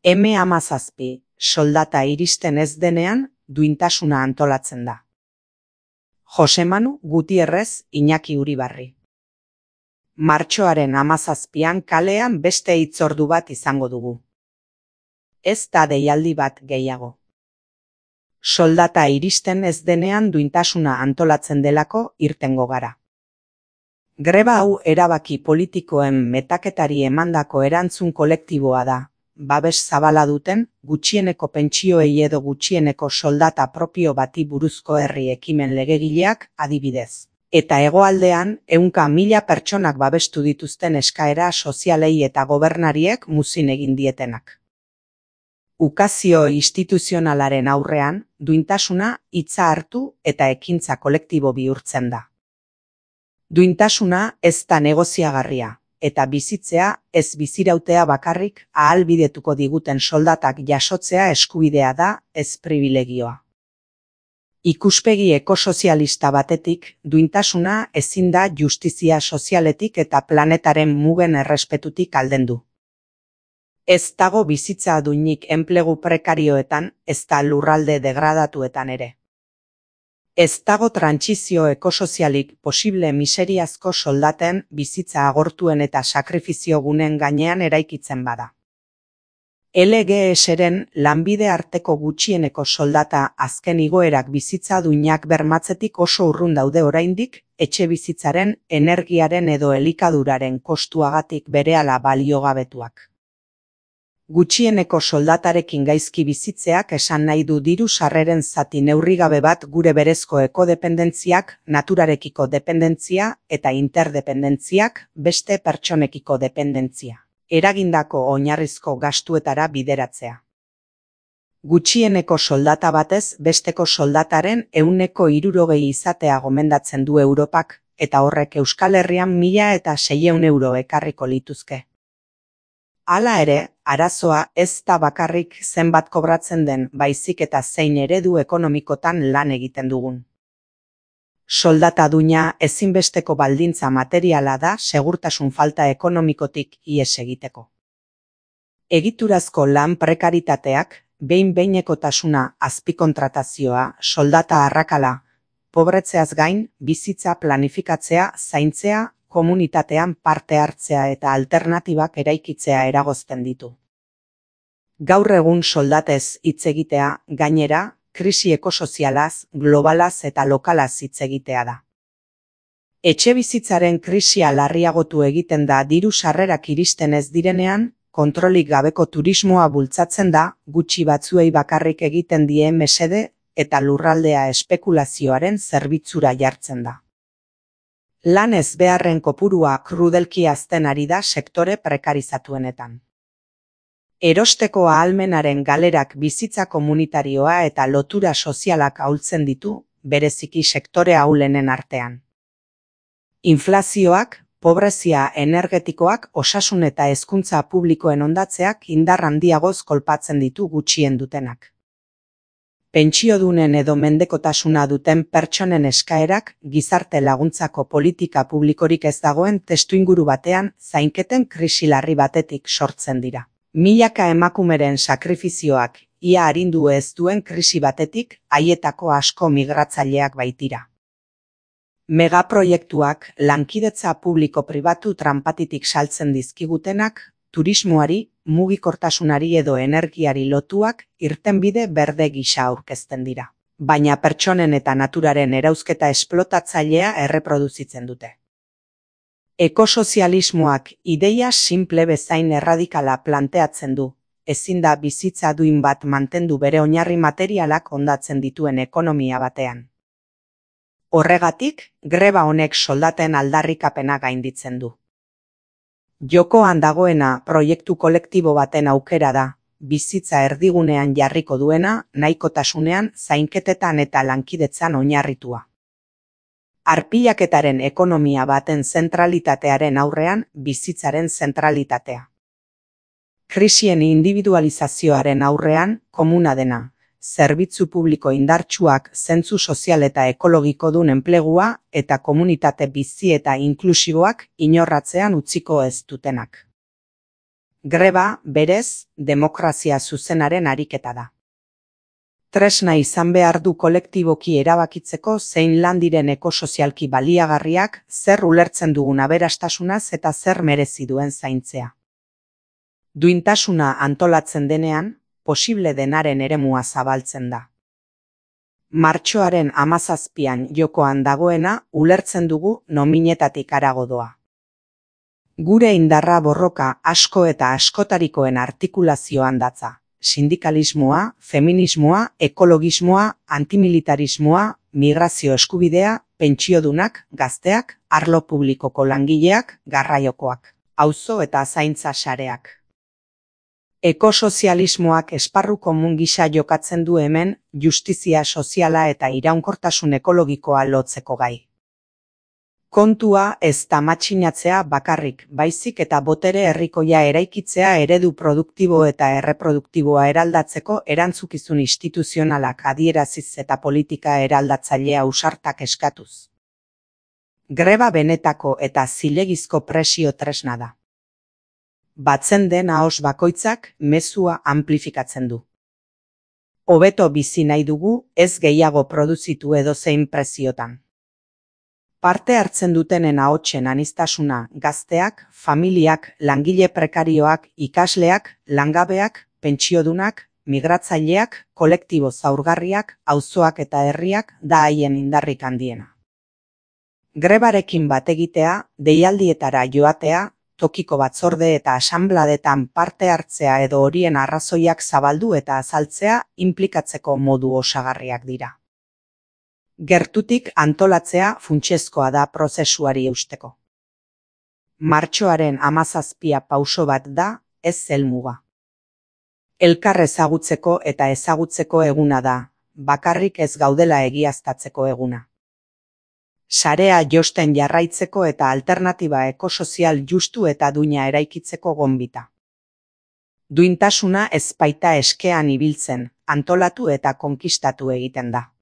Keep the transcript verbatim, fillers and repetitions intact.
eme hamazazpi, soldata iristen ez denean, duintasuna antolatzen da. Jose Manu Gutierrez Iñaki Uribarri. Martxoaren hamazazpian kalean beste hitzordu bat izango dugu. Ez da deialdi bat gehiago. Soldata iristen ez denean duintasuna antolatzen delako irtengo gara. Greba hau erabaki politikoen metaketari emandako erantzun kolektiboa da, babes zabala duten, gutxieneko pentsioei edo gutxieneko soldata propio bati buruzko herri ekimen legegileak adibidez. Eta hegoaldean, ehunka mila pertsonak babestu dituzten eskaera sozialei eta gobernariek muzin egin dietenak. Ukazio instituzionalaren aurrean, duintasuna hitza hartu eta ekintza kolektibo bihurtzen da. Duintasuna ez da negoziagarria, eta bizitzea ez bizirautea bakarrik ahalbidetuko diguten soldatak jasotzea eskubidea da, ez pribilegioa. Ikuspegi ekosozialista batetik, duintasuna ezin da justizia sozialetik eta planetaren mugen errespetutik aldendu. Ez dago bizitza duinik enplegu prekarioetan, ez da lurralde degradatuetan ere. Ez dago trantsizio ekosozialik posible miseriazko soldaten bizitza agortuen eta sakrifizio gunen gainean eraikitzen bada. L G S-ren lanbide arteko gutxieneko soldata azken igoerak bizitza duinak bermatzetik oso urrun daude oraindik, etxe bizitzaren, energiaren edo elikaduraren kostuagatik berehala baliogabetuak. Gutxieneko soldatarekin gaizki bizitzeak esan nahi du diru sarreren zati neurrigabe bat gure berezko ekodependentziak, naturarekiko dependentzia eta interdependentziak beste pertsonekiko dependentzia, eragindako oinarrizko gastuetara bideratzea. Gutxieneko soldata batez besteko soldataren ehuneko hirurogei izatea gomendatzen du Europak, eta horrek Euskal Herrian mila eta seiehun euro ekarriko lituzke. Hala ere, arazoa ez da bakarrik zenbat kobratzen den baizik eta zein eredu ekonomikotan lan egiten dugun. Soldata duina ezinbesteko baldintza materiala da segurtasun falta ekonomikotik ihes egiteko. Egiturazko lan prekaritateak, behin-behinekotasuna, azpikontratazioa, soldata arrakala, pobretzeaz gain, bizitza planifikatzea, zaintzea, komunitatean parte hartzea eta alternatibak eraikitzea eragozten ditu. Gaur egun soldatez hitz egitea, gainera, krisi ekosozialaz, globalaz eta lokalaz hitz egitea da. Etxe bizitzaren krisia larriagotu egiten da diru sarrerak iristen ez direnean, kontrolik gabeko turismoa bultzatzen da, gutxi batzuei bakarrik egiten die mesede eta lurraldea espekulazioaren zerbitzura jartzen da. Lan ez beharren kopurua krudelki hazten ari da sektore prekarizatuenetan. Erosteko ahalmenaren galerak bizitza komunitarioa eta lotura sozialak ahultzen ditu, bereziki sektore ahulenen artean. Inflazioak, pobrezia energetikoak, osasun eta hezkuntza publikoen hondatzeak indar handiagoz kolpatzen ditu gutxien dutenak. Pentsiodunen edo mendekotasuna duten pertsonen eskaerak gizarte laguntzako politika publikorik ez dagoen testuinguru batean zainketen krisi larri batetik sortzen dira. Milaka emakumeren sakrifizioak ia arindu ez duen krisi batetik haietako asko migratzaileak baitira. Megaproiektuak lankidetza publiko-pribatu tranpatitik saltzen dizkigutenak, turismoari, mugikortasunari edo energiari lotuak irtenbide berde gisa aurkezten dira. Baina pertsonen eta naturaren erauzketa esplotatzailea erreproduzitzen dute. Ekosozialismoak ideia simple bezain erradikala planteatzen du, ezin da bizitza duin bat mantendu bere oinarri materialak hondatzen dituen ekonomia batean. Horregatik, greba honek soldaten aldarrikapena gainditzen du. Jokoan dagoena proiektu kolektibo baten aukera da, bizitza erdigunean jarriko duena, nahikotasunean, zainketetan eta lankidetzan oinarritua. Arpilaketaren ekonomia baten zentralitatearen aurrean bizitzaren zentralitatea. Krisien individualizazioaren aurrean komuna dena, zerbitzu publiko indartsuak zentzu sozial eta ekologiko dun enplegua eta komunitate bizi eta inklusiboak inorratzean utziko ez dutenak. Greba, berez, demokrazia zuzenaren ariketa da. Tresna izan behar du kolektiboki erabakitzeko zein lan diren ekosozialki baliagarriak, zer ulertzen dugun aberastasunaz eta zer merezi duen zaintzea. Duintasuna antolatzen denean, posible denaren eremua zabaltzen da. Martxoaren hamazazpian jokoan dagoena ulertzen dugu nominetatik harago doa. Gure indarra borroka asko eta askotarikoen artikulazioan datza. Sindikalismoa, feminismoa, ekologismoa, antimilitarismoa, migrazio eskubidea, pentsiodunak, gazteak, arlo publikoko langileak, garraiokoak, auzo eta zaintza sareak. Ekosozialismoak esparru komun gisa jokatzen du hemen justizia soziala eta iraunkortasun ekologikoa lotzeko gai. Kontua ez da matxinatzea bakarrik, baizik eta botere herrikoia eraikitzea eredu produktibo eta erreproduktiboa eraldatzeko erantzukizun instituzionalak adieraziz eta politika eraldatzailea ausartak eskatuz. Greba benetako eta zilegizko presio tresna da. Batzen den ahos bakoitzak mezua amplifikatzen du. Hobeto bizi nahi dugu, ez gehiago produzitu edozein preziotan. Parte hartzen dutenen ahotsen aniztasuna gazteak, familiak, langile prekarioak, ikasleak, langabeak, pentsiodunak, migratzaileak, kolektibo zaurgarriak, auzoak eta herriak da haien indarrik handiena. Grebarekin bat egitea, deialdietara joatea, tokiko batzorde eta asanbladetan parte hartzea edo horien arrazoiak zabaldu eta azaltzea inplikatzeko modu osagarriak dira. Gertutik antolatzea funtsezkoa da prozesuari eusteko. Martxoaren hamazazpia pauso bat da, ez helmuga. Elkar ezagutzeko eta ezagutzeko eguna da, bakarrik ez gaudela egiaztatzeko eguna. Sarea josten jarraitzeko eta alternatiba ekosozial justu eta duina eraikitzeko gonbita. Duintasuna ez baita eskean ibiltzen, antolatu eta konkistatu egiten da.